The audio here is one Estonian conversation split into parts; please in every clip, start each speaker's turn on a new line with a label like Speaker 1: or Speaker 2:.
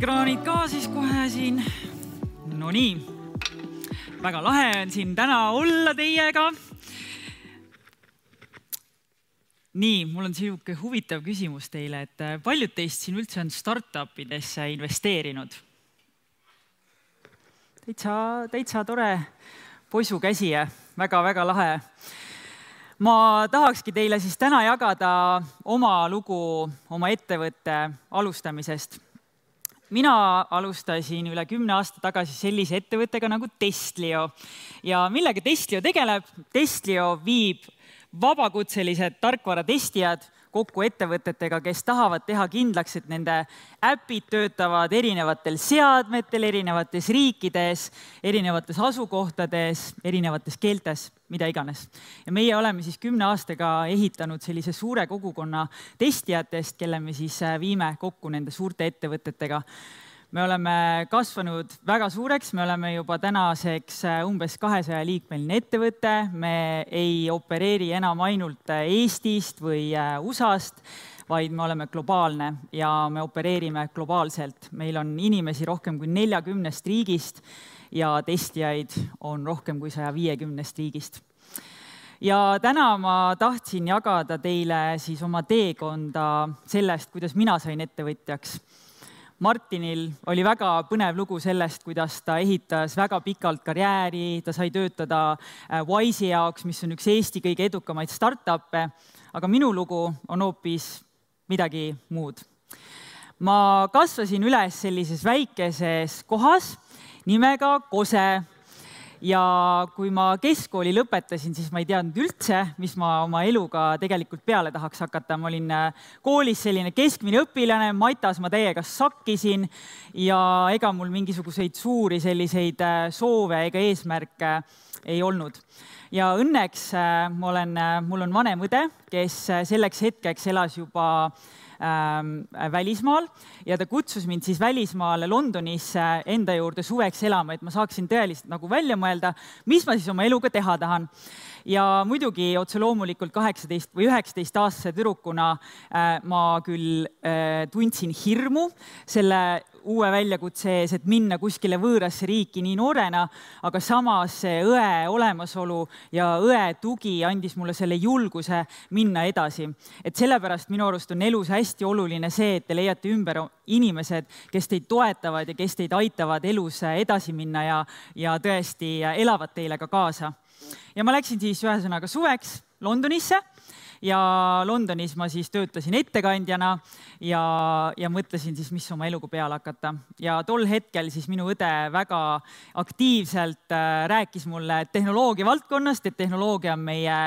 Speaker 1: ekraanid ka siis kohe siin. No nii, väga lahe on siin täna olla teiega. Nii, mul on siuke huvitav küsimus teile, et paljud teist siin üldse on startupidesse investeerinud? Täitsa tore poisukäsi, väga lahe. Ma tahakski teile siis täna jagada oma lugu oma ettevõtte alustamisest. Mina alustasin üle 10 aasta tagasi sellise ettevõttega nagu Testlio. Ja millega Testlio tegeleb? Testlio viib vabakutselised tarkvaratestijad kokku ettevõtetega, kes tahavad teha kindlaks, et nende äpid töötavad erinevatel seadmetel, erinevates riikides, erinevates asukohtades, erinevates keeltes, mida iganes. Ja meie oleme siis 10 aastaga ehitanud sellise suure kogukonna testijatest, kelle me siis viime kokku nende suurte ettevõtetega. Me oleme kasvanud väga suureks, me oleme juba tänaseks umbes 200-liikmeline ettevõte. Me ei opereeri enam ainult Eestist või USA-st, vaid me oleme globaalne ja me opereerime globaalselt. Meil on inimesi rohkem kui 40 riigist ja testijaid on rohkem kui 150 riigist. Ja täna ma tahtsin jagada teile siis oma teekonda sellest, kuidas mina sain ettevõtjaks. Martinil oli väga põnev lugu sellest, kuidas ta ehitas väga pikalt karjääri, ta sai töötada Wise'i jaoks, mis on üks Eesti kõige edukamaid startup'e, aga minu lugu on hoopis midagi muud. Ma kasvasin üles sellises väikeses kohas nimega Kose. Ja kui ma keskkooli lõpetasin, siis ma ei teadnud üldse, mis ma oma eluga tegelikult peale tahaks hakata. Ma olin koolis selline keskmine õpilane, matas ma täiega sakkisin ja ega mul mingisuguseid suuri selliseid soove ega eesmärke ei olnud. Ja õnneks mul on vanem õde, kes selleks hetkeks elas juba välismaal ja ta kutsus mind siis välismaale Londonisse enda juurde suveks elama, et ma saaksin tõeliselt nagu välja mõelda, mis ma siis oma eluga teha tahan. Ja muidugi otse loomulikult 18 või 19-aastase tüdrukuna ma küll tundsin hirmu selle uue väljakutse ees, et minna kuskile võõrasse riiki nii noorena, aga samas see õe olemasolu ja õe tugi andis mulle selle julguse minna edasi. Et sellepärast minu arust on elus hästi oluline see, et te leiate ümber inimesed, kes teid toetavad ja kes teid aitavad elus edasi minna ja tõesti elavad teile ka kaasa. Ja ma läksin siis ühesõnaga suveks Londonisse ja Londonis ma siis töötasin ettekandjana ja mõtlesin siis, mis oma eluga peale hakata. Ja tol hetkel siis minu õde väga aktiivselt rääkis mulle tehnoloogia valdkonnast, et tehnoloogia on meie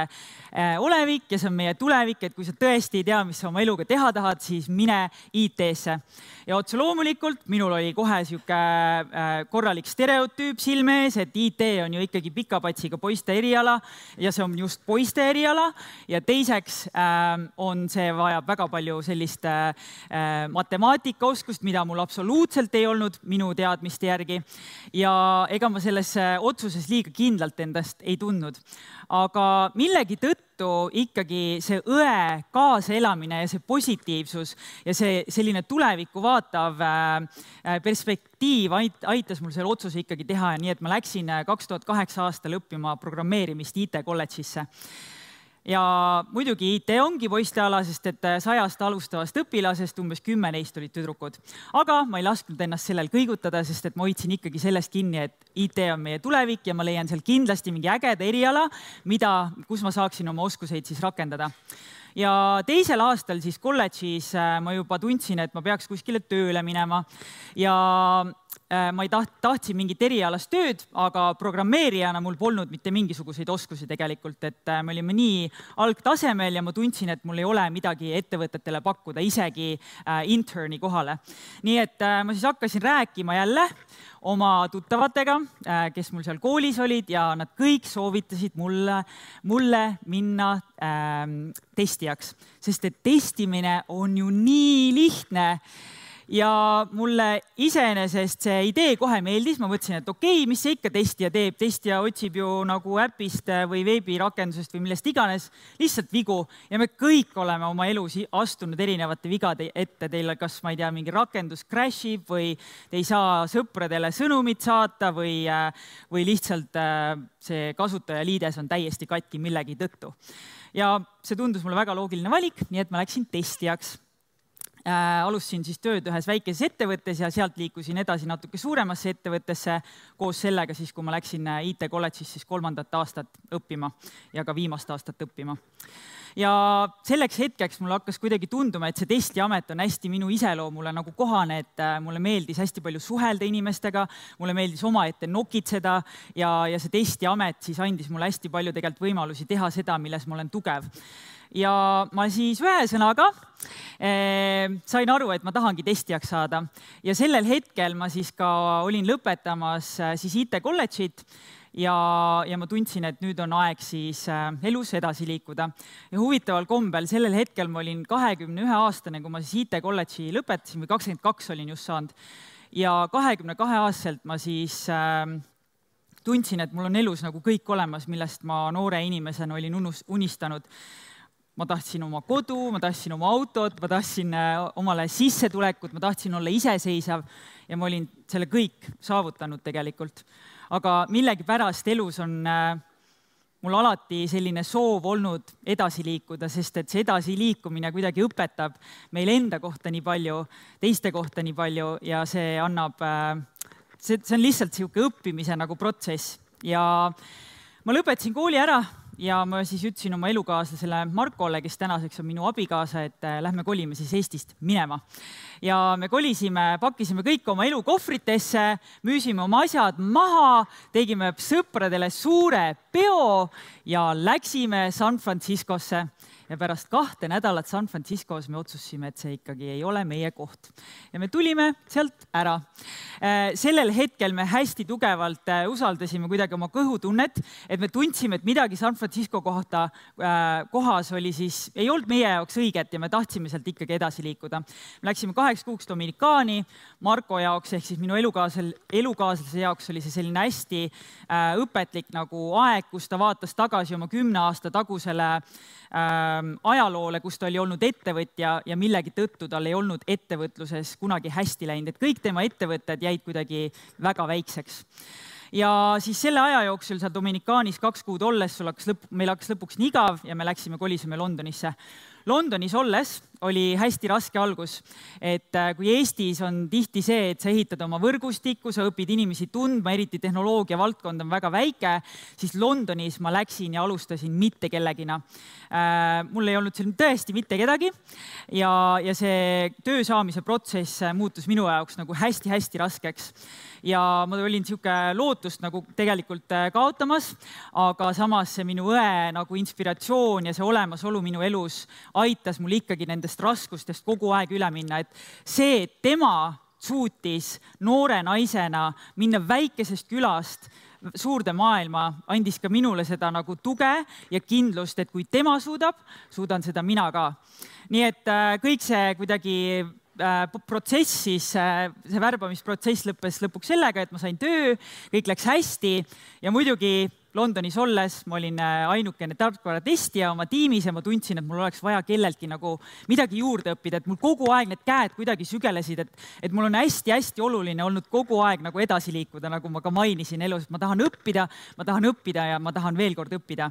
Speaker 1: olevik ja see on meie tulevik, et kui sa tõesti ei tea, mis sa oma eluga teha tahad, siis mine IT-sse. Ja otse loomulikult minul oli kohe siuke korralik stereotüüp silme ees, et IT on ju ikkagi pika patsiga poiste eriala ja see on just poiste eriala ja teiseks on see vajab väga palju sellist matemaatikaoskust, mida mul absoluutselt ei olnud minu teadmiste järgi ja ega ma selles otsuses liiga kindlalt endast ei tundnud. Aga millegi tõttu ikkagi see õe kaasaelamine ja see positiivsus ja see selline tulevikku vaatav perspektiiv aitas mul selle otsuse ikkagi teha, nii et ma läksin 2008 aastal õppima programmeerimist IT-kolledžisse. Ja muidugi IT ongi poisteala, sest et 100 alustavast õpilasest umbes 10 neist olid tüdrukud. Aga ma ei lasknud ennast sellel kõigutada, sest et ma hoidsin ikkagi sellest kinni, et IT on meie tulevik ja ma leian seal kindlasti mingi ägeda eriala, kus ma saaksin oma oskuseid siis rakendada. Ja teisel aastal siis kolledžis ma juba tundsin, et ma peaks kuskile tööle minema ja ma ei tahtsin mingit erialast tööd, aga programmeerijana mul polnud mitte mingisuguseid oskusi tegelikult, et me olime nii algtasemel ja ma tundsin, et mul ei ole midagi ettevõtetele pakkuda, isegi interni kohale. Nii et ma siis hakkasin rääkima jälle oma tuttavatega, kes mul seal koolis olid ja nad kõik soovitasid mulle minna testijaks, sest et testimine on ju nii lihtne. ja mulle iseenesest see idee kohe meeldis, ma mõtlesin, et okei, mis see ikka testija teeb, testija otsib ju nagu äpist või veebirakendusest või millest iganes lihtsalt vigu ja me kõik oleme oma elus astunud erinevate vigade ette. Teil kas, ma ei tea, mingi rakendus crashib või te ei saa sõpradele sõnumit saata või lihtsalt see kasutajaliides on täiesti katki millegi tõttu. Ja see tundus mulle väga loogiline valik, nii et ma läksin testijaks. Alustasin siis tööd ühes väikeses ettevõttes ja sealt liikusin edasi natuke suuremasse ettevõttesse koos sellega siis, kui ma läksin IT kolledžis siis 3. aastat õppima ja ka viimast aastat õppima. Ja selleks hetkeks mulle hakkas kuidagi tunduma, et see testiamet on hästi minu iseloomule nagu kohane, et mulle meeldis hästi palju suhelda inimestega, mulle meeldis omaette nokitseda ja see testiamet siis andis mulle hästi palju tegelikult võimalusi teha seda, milles ma olen tugev. Ja ma siis ühesõnaga sain aru, et ma tahangi testijaks saada ja sellel hetkel ma siis ka olin lõpetamas siis IT kolledžit ja ma tundsin, et nüüd on aeg siis elus edasi liikuda. Ja huvitaval kombel sellel hetkel ma olin 21-aastane, kui ma siis IT kolledži lõpetasin või 22 olin just saanud ja 22-aastaselt ma siis tundsin, et mul on elus nagu kõik olemas, millest ma noore inimesena olin unistanud. Ma tahtsin oma kodu, ma tahtsin oma autot, ma tahtsin omale sissetulekut, ma tahtsin olla iseseisav ja ma olin selle kõik saavutanud tegelikult. Aga millegipärast elus on mul alati selline soov olnud edasi liikuda, sest et see edasiliikumine kuidagi õpetab meil enda kohta nii palju, teiste kohta nii palju ja see annab, see on lihtsalt sihuke õppimise nagu protsess. Ja ma lõpetasin kooli ära ja ma siis ütlesin oma elukaaslasele Markole, kes tänaseks on minu abikaasa, et lähme kolime siis Eestist minema. Ja me kolisime, pakkisime kõik oma elukohvritesse, müüsime oma asjad maha, tegime sõpradele suure peo ja läksime San Franciscosse. Ja pärast 2 nädalat San Franciscos me otsustasime, et see ikkagi ei ole meie koht. Ja me tulime sealt ära. Sellel hetkel me hästi tugevalt usaldasime kuidagi oma kõhutunnet, et me tundsime, et midagi San Francisco kohas oli siis, ei olnud meie jaoks õiget ja me tahtsime sealt ikkagi edasi liikuda. Me läksime 8 kuuks Dominikaani, Marko jaoks ehk siis minu elukaaslase jaoks oli see selline hästi õpetlik nagu aeg, kus ta vaatas tagasi oma 10 aasta tagusele ajaloole, kus ta oli olnud ettevõtja ja millegi tõttu tal ei olnud ettevõtluses kunagi hästi läinud, et kõik tema ettevõtted jäid kuidagi väga väikseks. Ja siis selle aja jooksul seal Dominikaanis 2 kuud olles meil hakkas lõpuks nii igav ja me kolisime Londonisse. Londonis olles oli hästi raske algus, et kui Eestis on tihti see, et sa ehitad oma võrgustikku, sa õpid inimesi tundma, eriti tehnoloogia valdkond on väga väike, siis Londonis ma läksin ja alustasin mitte kellegina. Mul ei olnud seal tõesti mitte kedagi ja see töö saamise protsess muutus minu jaoks nagu hästi-hästi raskeks. Ja ma olin sihuke lootust nagu tegelikult kaotamas, aga samas see minu õe nagu inspiratsioon ja see olemasolu minu elus aitas mul ikkagi nendest raskustest kogu aeg üle minna, et see, et tema suutis noore naisena minna väikesest külast suurde maailma, andis ka minule seda nagu tuge ja kindlust, et kui tema suudab, suudan seda mina ka. Nii et kõik see kuidagi protsess siis, see värbamisprotsess lõppes lõpuks sellega, et ma sain töö, kõik läks hästi ja muidugi Londonis olles ma olin ainukene tarkvaratestija oma tiimis ja ma tundsin, et mul oleks vaja kelleltki nagu midagi juurde õppida, et mul kogu aeg need käed kuidagi sügelesid, et mul on hästi-hästi oluline olnud kogu aeg nagu edasi liikuda, nagu ma ka mainisin elus, et ma tahan õppida ja ma tahan veel kord õppida.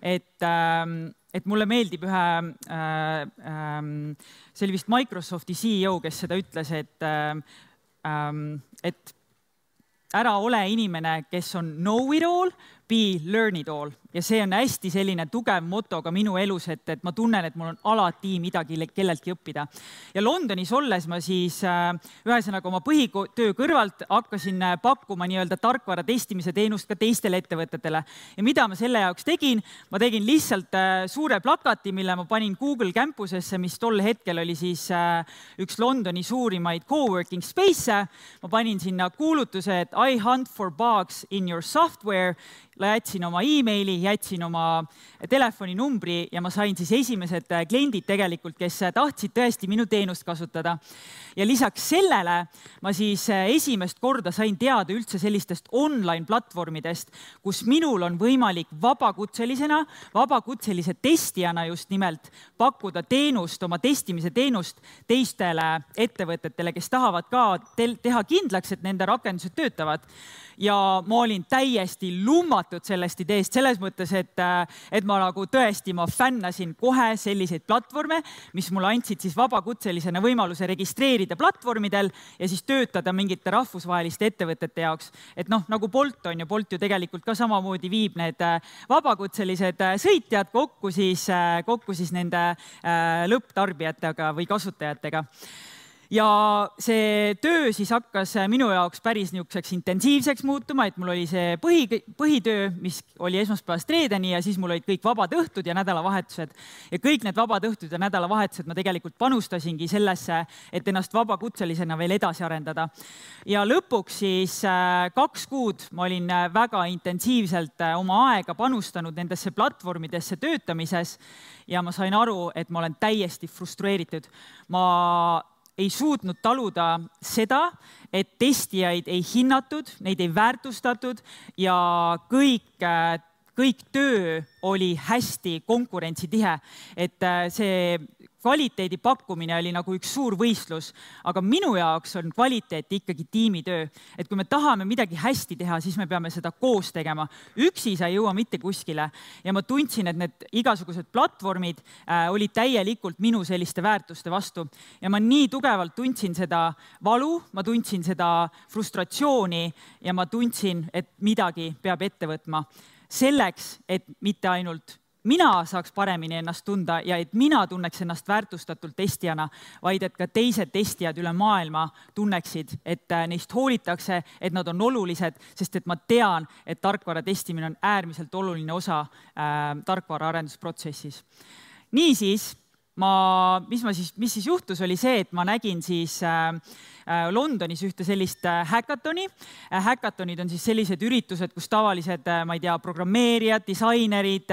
Speaker 1: Et mulle meeldib see oli vist Microsofti CEO, kes seda ütles, et ära ole inimene, kes on know it all, be learn it all. Ja see on hästi selline tugev moto ka minu elus, et ma tunnen, et mul on alati midagi kelleltki õppida. Ja Londonis olles ma siis ühesõnaga oma põhitöö kõrvalt hakkasin pakkuma nii-öelda tarkvara testimise teenust ka teistele ettevõtetele. Ja mida ma selle jaoks tegin? Ma tegin lihtsalt suure plakati, mille ma panin Google Campusesse, mis tol hetkel oli siis üks Londoni suurimaid coworking space. Ma panin sinna kuulutuse, et I hunt for bugs in your software jätsin oma emaili, jätsin oma telefoninumbri ja ma sain siis esimesed kliendid tegelikult, kes tahtsid tõesti minu teenust kasutada. Ja lisaks sellele ma siis esimest korda sain teada üldse sellistest online platvormidest, kus minul on võimalik vabakutselise testijana just nimelt pakkuda teenust, oma testimise teenust teistele ettevõtetele, kes tahavad ka teha kindlaks, et nende rakendused töötavad. Ja ma olin täiesti lummatud sellest ideest, selles mõttes, et ma nagu tõesti, ma fännasin kohe selliseid platvorme, mis mulle andsid siis vabakutselisena võimaluse registreerida platvormidel ja siis töötada mingite rahvusvaheliste ettevõtete jaoks. Et noh, nagu Bolt on ju, Bolt ju tegelikult ka samamoodi viib need vabakutselised sõitjad kokku siis nende lõpptarbijatega või kasutajatega. Ja see töö siis hakkas minu jaoks päris niisuguseks intensiivseks muutuma, et mul oli see põhitöö, mis oli esmaspäevast reedeni ja siis mul olid kõik vabad õhtud ja nädalavahetused. Ja kõik need vabad õhtud ja nädalavahetused ma tegelikult panustasingi sellesse, et ennast vabakutselisena veel edasi arendada. Ja lõpuks siis 2 kuud ma olin väga intensiivselt oma aega panustanud nendesse platvormidesse töötamises ja ma sain aru, et ma olen täiesti frustreeritud. Ma ei suutnud taluda seda, et testijaid ei hinnatud, neid ei väärtustatud ja kõik töö oli hästi konkurentsitihe. Et see kvaliteedi pakkumine oli nagu üks suur võistlus, aga minu jaoks on kvaliteet ikkagi tiimitöö. Et kui me tahame midagi hästi teha, siis me peame seda koos tegema. Üksi sa ei jõua mitte kuskile. Ja ma tundsin, et need igasugused platvormid olid täielikult minu selliste väärtuste vastu. Ja ma nii tugevalt tundsin seda valu, ma tundsin seda frustratsiooni ja ma tundsin, et midagi peab ette võtma. Selleks, et mitte ainult mina saaks paremini ennast tunda ja et mina tunneks ennast väärtustatult testijana, vaid et ka teised testijad üle maailma tunneksid, et neist hoolitakse, et nad on olulised, sest et ma tean, et tarkvara testimine on äärmiselt oluline osa tarkvara arendusprotsessis. Niisiis, mis siis juhtus, oli see, et ma nägin siis Londonis ühte sellist häkatoni. Häkatonid on siis sellised üritused, kus tavalised, ma ei tea, programmeerijad, disainerid,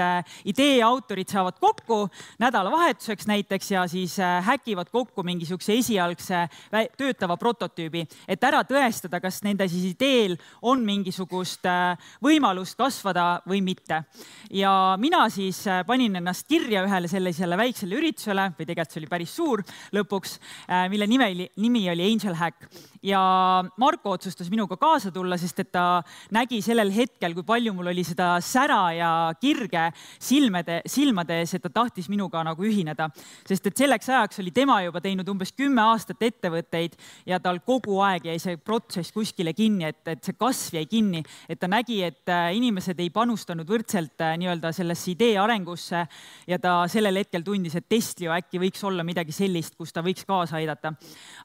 Speaker 1: idee autorid saavad kokku nädalavahetuseks näiteks ja siis häkivad kokku mingisuguse esialgse töötava prototüübi, et ära tõestada, kas nende siis ideel on mingisugust võimalust kasvada või mitte. Ja mina siis panin ennast kirja ühele sellisele väiksele üritusele, või tegelikult see oli päris suur lõpuks, mille nimi oli Angel Hack. Ja Marko otsustas minuga kaasa tulla, sest et ta nägi sellel hetkel, kui palju mul oli seda sära ja kirge silmades, et ta tahtis minuga nagu ühineda. Sest et selleks ajaks oli tema juba teinud umbes 10 aastat ettevõtteid ja tal kogu aeg jäi see protsess kuskile kinni, et see kasv jäi kinni, et ta nägi, et inimesed ei panustanud võrdselt nii-öelda sellesse idee arengusse ja ta sellel hetkel tundis, et Testlio äkki võiks olla midagi sellist, kus ta võiks kaasa aidata.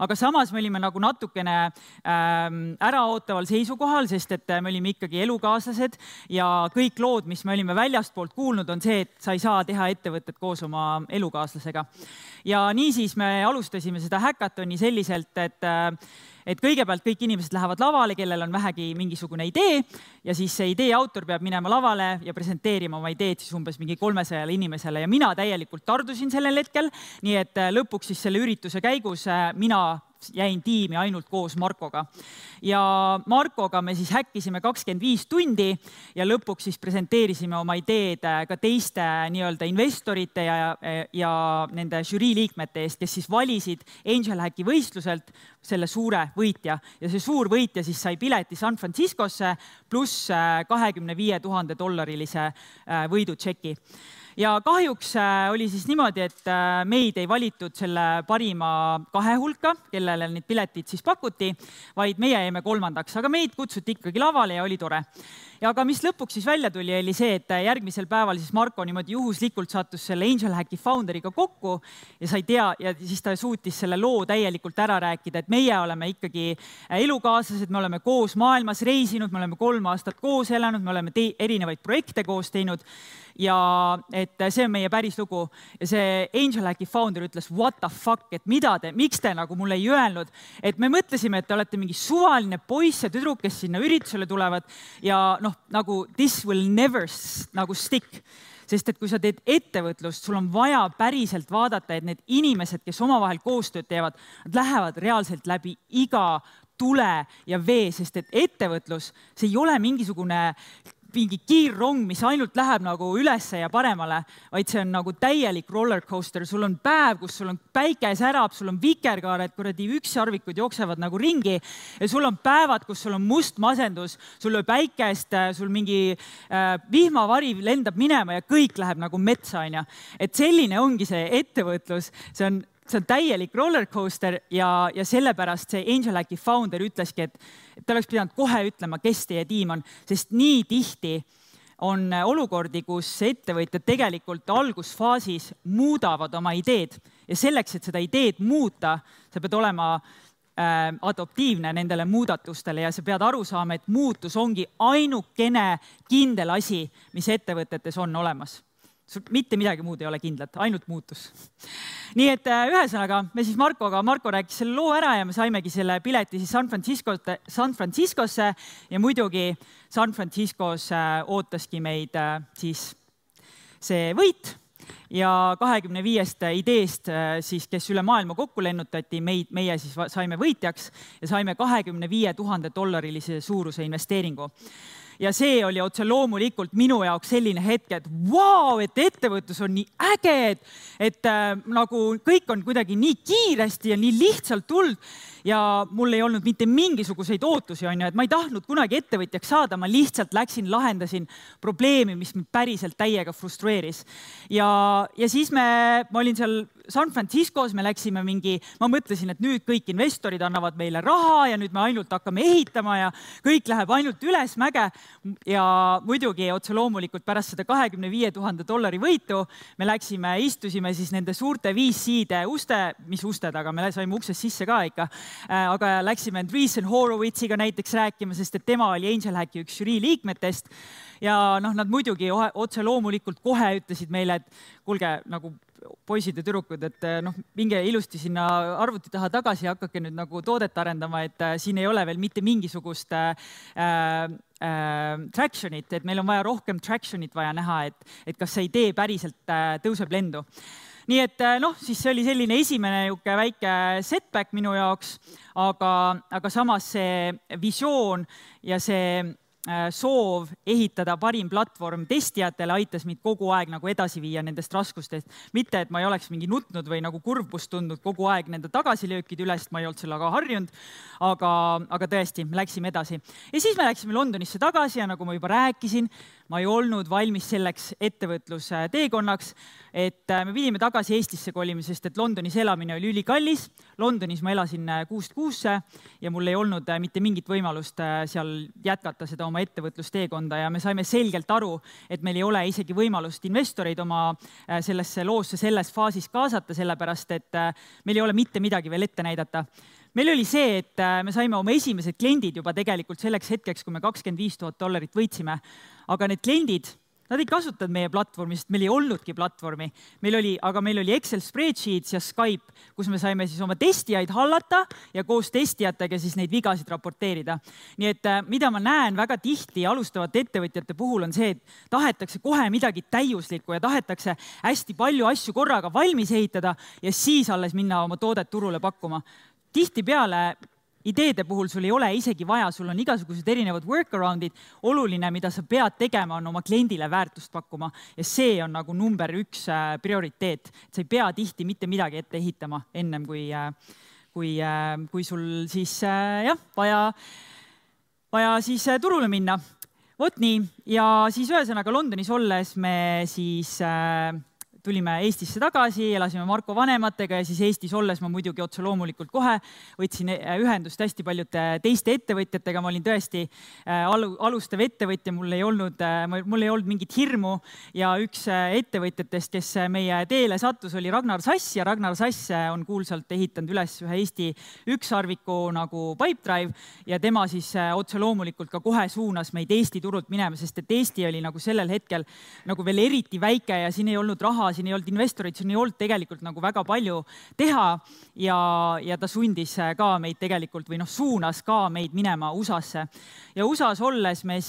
Speaker 1: Aga samas me olime nagu natukene äraootaval seisukohal, sest et me olime ikkagi elukaaslased ja kõik lood, mis me olime väljastpoolt kuulnud, on see, et sa ei saa teha ettevõtet koos oma elukaaslasega. Ja niisiis me alustasime seda häkatoni selliselt, et kõigepealt kõik inimesed lähevad lavale, kellel on vähegi mingisugune idee ja siis see idee autor peab minema lavale ja presenteerima oma ideed siis umbes mingi 300 inimesele ja mina täielikult tardusin sellel hetkel, nii et lõpuks siis selle ürituse käigus mina jäin tiimi ainult koos Markoga. Ja Markoga me siis häkkisime 25 tundi ja lõpuks siis presenteerisime oma ideed ka teiste nii-öelda investorite ja nende žürii liikmete eest, kes siis valisid Angel Hacki võistluselt selle suure võitja. Ja see suur võitja siis sai pileti San Franciscosse pluss $25,000 võidutšeki. Ja kahjuks oli siis niimoodi, et meid ei valitud selle parima 2 hulka, kellele need piletid siis pakuti, vaid meie jäime 3. Aga meid kutsuti ikkagi lavale ja oli tore. Ja aga mis lõpuks siis välja tuli, oli see, et järgmisel päeval siis Marko niimoodi juhuslikult sattus selle Angel Hacki founderiga kokku ja sa ei tea, ja siis ta suutis selle loo täielikult ära rääkida, et meie oleme ikkagi elukaaslased, me oleme koos maailmas reisinud, me oleme 3 aastat koos elanud, me oleme erinevaid projekte koos teinud ja et see on meie päris lugu. Ja see Angel Hacki founder ütles, what the fuck, et miks te nagu mulle ei öelnud, et me mõtlesime, et te olete mingi suvaline poiss ja tüdruk, kes sinna üritusele tulevad ja noh, nagu this will never nagu stick. Sest et kui sa teed ettevõtlust, sul on vaja päriselt vaadata, et need inimesed, kes omavahel koostööd teevad, nad lähevad reaalselt läbi iga tule ja vee, sest et ettevõtlus, see ei ole mingisugune kiirrong, mis ainult läheb nagu ülesse ja paremale, vaid see on nagu täielik rollercoaster. Sul on päev, kus sul on päike särab, sul on vikerkaared, kuradi ükssarvikud jooksevad nagu ringi ja sul on päevad, kus sul on must masendus, sul on päikest, sul mingi vihmavari lendab minema ja kõik läheb nagu metsa, on ja. Et selline ongi see ettevõtlus, see on täielik rollercoaster ja sellepärast see Angel Hacki founder ütleski, et ta oleks pidanud kohe ütlema, kes teie tiim on, sest nii tihti on olukordi, kus ettevõtjad tegelikult algusfaasis muudavad oma ideed ja selleks, et seda ideed muuta, sa pead olema adoptiivne nendele muudatustele ja sa pead aru saama, et muutus ongi ainukene kindel asi, mis ettevõtetes on olemas. Mitte midagi muud ei ole kindlat, ainult muutus. Nii et ühesõnaga, me siis Marko rääkis selle loo ära ja me saimegi selle pileti siis San Franciscosse ja muidugi San Franciscos ootaski meid siis see võit ja 25 ideest, siis, kes üle maailma kokku lennutati, meie siis saime võitjaks ja saime $25,000 suuruse investeeringu. Ja see oli otse loomulikult minu jaoks selline hetk, et vau, et ettevõtlus on nii äge, et nagu kõik on kuidagi nii kiiresti ja nii lihtsalt tulnud ja mul ei olnud mitte mingisuguseid ootusi, on ju, et ma ei tahtnud kunagi ettevõtjaks saada, ma lihtsalt läksin, lahendasin probleemi, mis mind päriselt täiega frustreeris. Ja siis ma olin seal San Franciscos, me läksime ma mõtlesin, et nüüd kõik investorid annavad meile raha ja nüüd me ainult hakkame ehitama ja kõik läheb ainult üles mäge. Ja muidugi otse loomulikult pärast seda $25,000 võitu me läksime, istusime siis nende suurte VC-de usted, aga me saime uksest sisse ka ikka, aga läksime Andreessen Horowitziga näiteks rääkima, sest et tema oli Angel Hacki üks žürii liikmetest ja nad muidugi otse loomulikult kohe ütlesid meile, et kuulge, nagu poisid ja tüdrukud, et minge ilusti sinna arvuti taha tagasi ja hakake nüüd nagu toodet arendama, et siin ei ole veel mitte mingisugust tractionit, et meil on vaja rohkem tractionit vaja näha, et kas see idee päriselt tõuseb lendu. Nii et siis see oli selline esimene väike setback minu jaoks, aga samas see visioon ja see soov ehitada parim platvorm testijatele aitas mind kogu aeg nagu edasi viia nendest raskustest. Mitte, et ma ei oleks mingi nutnud või nagu kurbust tundnud kogu aeg nende tagasilöökid üles, ma ei olnud sellega harjunud, aga tõesti, me läksime edasi. Ja siis me läksime Londonisse tagasi ja nagu ma juba rääkisin, ma ei olnud valmis selleks ettevõtluse teekonnaks, et me pidime tagasi Eestisse kolima, sest et Londonis elamine oli ülikallis. Londonis ma elasin kuust kuusse ja mul ei olnud mitte mingit võimalust seal jätkata seda oma ettevõtlusteekonda ja me saime selgelt aru, et meil ei ole isegi võimalust investoreid oma sellesse loosse selles faasis kaasata, sellepärast et meil ei ole mitte midagi veel ette näidata. Meil oli see, et me saime oma esimesed kliendid juba tegelikult selleks hetkeks, kui me $25,000 võitsime, aga need kliendid, nad ei kasutanud meie platvormi, sest meil ei olnudki platvormi. Aga meil oli Excel spreadsheets ja Skype, kus me saime siis oma testijaid hallata ja koos testijatega siis neid vigasid raporteerida. Nii et mida ma näen väga tihti alustavate ettevõtjate puhul on see, et tahetakse kohe midagi täiuslikku ja tahetakse hästi palju asju korraga valmis ehitada ja siis alles minna oma toodet turule pakkuma. Tihtipeale ideede puhul sul ei ole isegi vaja, sul on igasugused erinevad workaroundid. Oluline, mida sa pead tegema, on oma kliendile väärtust pakkuma ja see on nagu number 1 prioriteet. Sa ei pea tihti mitte midagi ette ehitama ennem, kui sul siis vaja siis turule minna. Vot nii. Ja siis ühesõnaga Londonis olles me siis tulime Eestisse tagasi, elasime Marko vanematega ja siis Eestis olles ma muidugi otse loomulikult kohe võtsin ühendust hästi paljude teiste ettevõtjatega. Ma olin tõesti alustav ettevõtja, mul ei olnud mingit hirmu ja üks ettevõtjatest, kes meie teele sattus, oli Ragnar Sass ja Ragnar Sass on kuulsalt ehitanud üles ühe Eesti ükssarviku nagu Pipedrive ja tema siis otse loomulikult ka kohe suunas meid Eesti turult minema, sest et Eesti oli nagu sellel hetkel nagu veel eriti väike ja siin ei olnud raha, siin ei olnud investoreid, siin ei olnud tegelikult nagu väga palju teha ja ta sundis ka meid tegelikult või suunas ka meid minema USA-sse. Ja USA-s olles me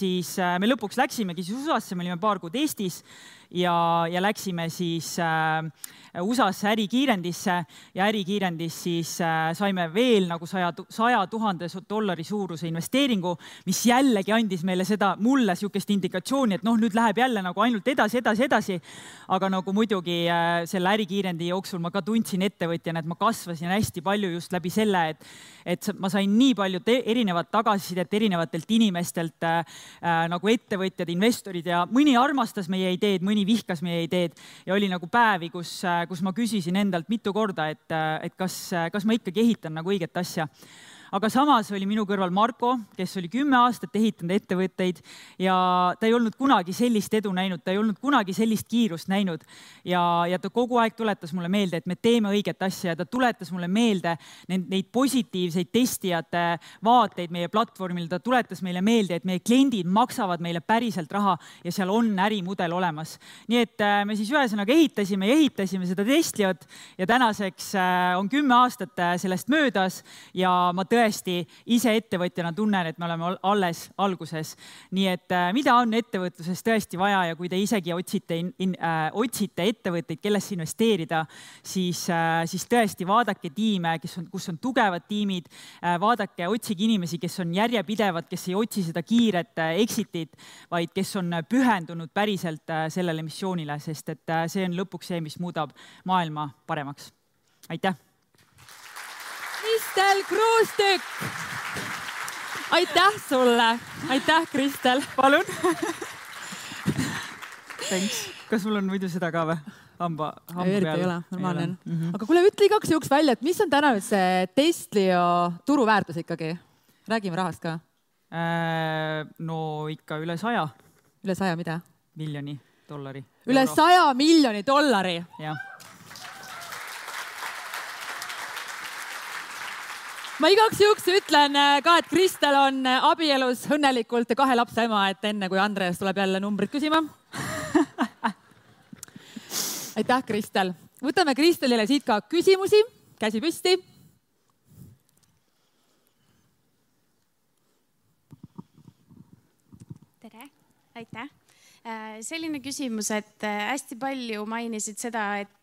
Speaker 1: lõpuks läksimegi siis USA-sse, me olime paar kuud Eestis ja läksime siis USA-sse ärikiirendisse ja ärikiirendis siis saime veel nagu $100,000 suuruse investeeringu, mis jällegi andis meile mulle sihukest indikatsiooni, et nüüd läheb jälle nagu ainult edasi. Aga nagu muidugi selle ärikiirendi jooksul ma ka tundsin ettevõtjana, et ma kasvasin hästi palju just läbi selle, et ma sain nii palju erinevat tagasisidet erinevatelt inimestelt nagu ettevõtjad, investorid ja mõni armastas meie ideed, mõni vihkas meie ideed ja oli nagu päevi, kus ma küsisin endalt mitu korda, et kas ma ikkagi ehitan nagu õiget asja. Aga samas oli minu kõrval Marko, kes oli 10 aastat ehitanud ettevõtteid ja ta ei olnud kunagi sellist edu näinud, ta ei olnud kunagi sellist kiirust näinud ja ta kogu aeg tuletas mulle meelde, et me teeme õiget asja ja ta tuletas mulle meelde neid positiivseid testijate vaateid meie platvormil, ta tuletas meile meelde, et meie kliendid maksavad meile päriselt raha ja seal on ärimudel olemas. Nii et me siis ühesõnaga ehitasime seda testijat ja tänaseks on 10 aastat sellest möödas ja ma tõesti ise ettevõtjana tunnen, et me oleme alles alguses. Nii et mida on ettevõtluses tõesti vaja ja kui te isegi otsite ettevõtteid, kellesse investeerida, siis tõesti vaadake tiime, kus on tugevad tiimid, otsige inimesi, kes on järjepidevad, kes ei otsi seda kiiret exitit, vaid kes on pühendunud päriselt sellele missioonile, sest et see on lõpuks see, mis muudab maailma paremaks. Aitäh!
Speaker 2: Kristel Kruustükk! Aitäh sulle! Aitäh, Kristel!
Speaker 1: Palun! Thanks. Kas sul on muidu seda ka või? Hamba
Speaker 2: peal? Ei ole, normaalne on. Aga kuule, ütle igaks juhuks välja, et mis on täna nüüd see Testlio turuväärtus ikkagi? Räägime rahast ka.
Speaker 1: No ikka üle 100.
Speaker 2: Üle 100 mida?
Speaker 1: Miljoni dollari.
Speaker 2: Üle 100 miljoni dollari?
Speaker 1: Jah.
Speaker 2: Ma igaks juhuks ütlen ka, et Kristel on abielus õnnelikult 2 lapse ema, et enne kui Andres tuleb jälle numbrit küsima. Aitäh, Kristel. Võtame Kristelile siit ka küsimusi. Käsi püsti.
Speaker 3: Tere, aitäh. Selline küsimus, et hästi palju mainisid seda, et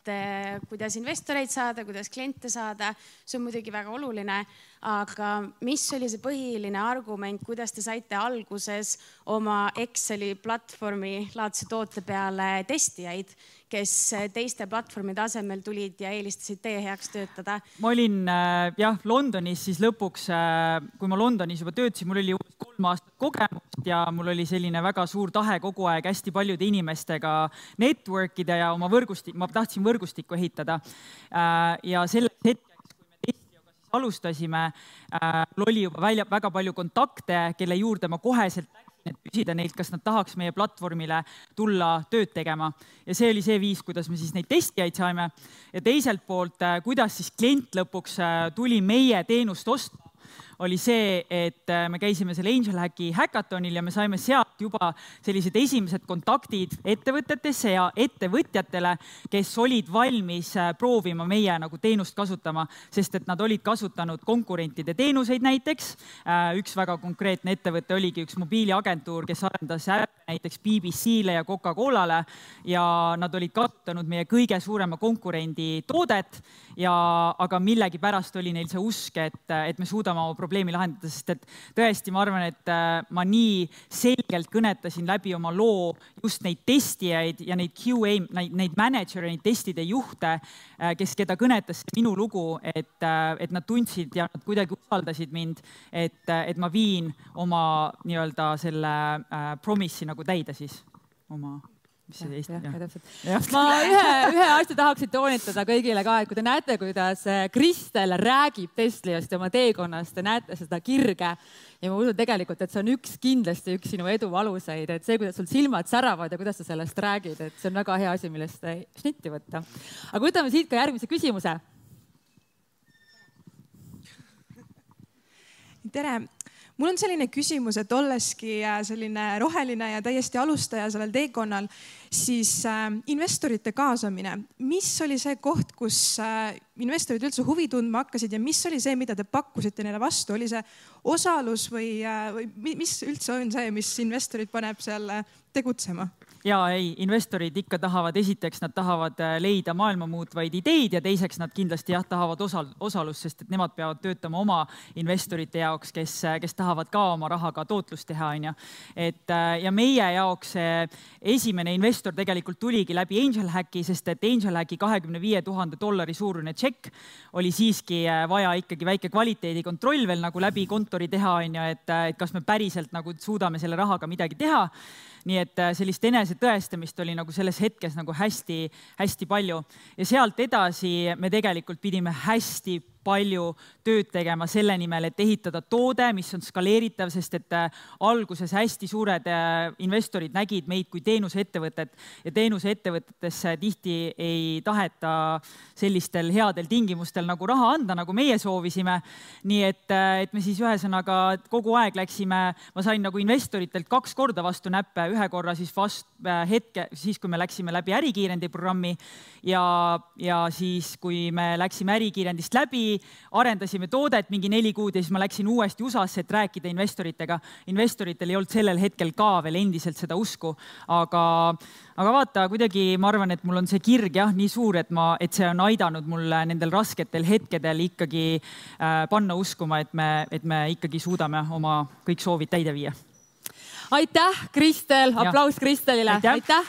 Speaker 3: kuidas investoreid saada, kuidas kliente saada, see on muidugi väga oluline, aga mis oli see põhiline argument, kuidas te saite alguses oma Exceli platvormi laadse toote peale testijaid, kes teiste platvormide asemel tulid ja eelistasid teie heaks töötada?
Speaker 1: Ma olin Londonis siis lõpuks, kui ma Londonis juba töötasin, mul oli 3 aastat kogemust ja mul oli selline väga suur tahe kogu aeg hästi paljude inimestega network'ida ja oma ma tahtsin võrgustikku ehitada. Ja selles hetkeks, kui me Testlioga siis alustasime, mul oli juba väga palju kontakte, kelle juurde ma koheselt läksin, et küsida neilt, kas nad tahaks meie platvormile tulla tööd tegema. Ja see oli see viis, kuidas me siis neid testijaid saime. Ja teiselt poolt, kuidas siis klient lõpuks tuli meie teenust ostma, oli see, et me käisime selle Angel Hacki hackathonil ja me saime sealt juba sellised esimesed kontaktid ettevõtetesse ja ettevõtjatele, kes olid valmis proovima meie nagu teenust kasutama, sest et nad olid kasutanud konkurentide teenuseid näiteks. Üks väga konkreetne ettevõte oligi üks mobiiliagentuur, kes arendas näiteks BBC-le ja Coca-Colale ja nad olid kasutanud meie kõige suurema konkurendi toodet, aga millegi pärast oli neil see usk, et me suudame oma probleemi lahendada, sest et tõesti, ma arvan, et ma nii selgelt kõnetasin läbi oma loo just neid testijaid ja neid QA, neid manager'e, neid testide juhte, keda kõnetas minu lugu, et nad tundsid ja nad kuidagi usaldasid mind, et ma viin oma nii-öelda selle promissi nagu täide siis oma.
Speaker 2: Ma ühe asja tahaksin toonitada kõigile ka, et kui te näete, kuidas Kristel räägib Testliost ja oma teekonnast, te näete seda kirge ja ma usun tegelikult, et see on kindlasti üks sinu edu aluseid, et see, kuidas sul silmad säravad ja kuidas sa sellest räägid, et see on väga hea asi, millest šnitti võtta. Aga võtame siit ka järgmise küsimuse.
Speaker 4: Tere! Mul on selline küsimus, et olleski selline roheline ja täiesti alustaja sellel teekonnal, siis investorite kaasamine. Mis oli see koht, kus investorid üldse huvi tundma hakkasid ja mis oli see, mida te pakkusite neile vastu? Oli see osalus või mis üldse on see, mis investorid paneb seal tegutsema?
Speaker 1: Investorid ikka tahavad, esiteks nad tahavad leida maailma muutvaid ideid ja teiseks nad kindlasti tahavad osalust, sest et nemad peavad töötama oma investorite jaoks, kes tahavad ka oma rahaga tootlust teha. Ja meie jaoks esimene investor tegelikult tuligi läbi Angel Hacki, sest et Angel Hacki $25,000 suurune tšekk oli siiski vaja ikkagi väike kvaliteedikontroll veel nagu läbi kontori teha, et kas me päriselt nagu suudame selle rahaga midagi teha. Nii et sellist enesetõestamist oli nagu selles hetkes nagu hästi palju. Ja sealt edasi me tegelikult pidime hästi palju tööd tegema selle nimel, et ehitada toode, mis on skaleeritav, sest et alguses hästi suured investorid nägid meid kui teenuseettevõtet ja teenuseettevõtetesse tihti ei taheta sellistel headel tingimustel nagu raha anda, nagu meie soovisime. Nii et me siis ühesõnaga kogu aeg läksime, ma sain nagu investoritelt 2 korda vastu näppe, ühe korra siis kui me läksime läbi ärikiirendi programmi ja siis, kui me läksime ärikiirendist läbi, arendasime toodet mingi 4 kuud ja siis ma läksin uuesti USA-sse, et rääkida investoritega. Investoritel ei olnud sellel hetkel ka veel endiselt seda usku, aga vaata, kuidagi ma arvan, et mul on see kirg nii suur, et see on aidanud mulle nendel rasketel hetkedel ikkagi panna uskuma, et me ikkagi suudame oma kõik soovid täide viia.
Speaker 2: Aitäh, Kristel! Aplaus Kristelile!
Speaker 1: Aitäh!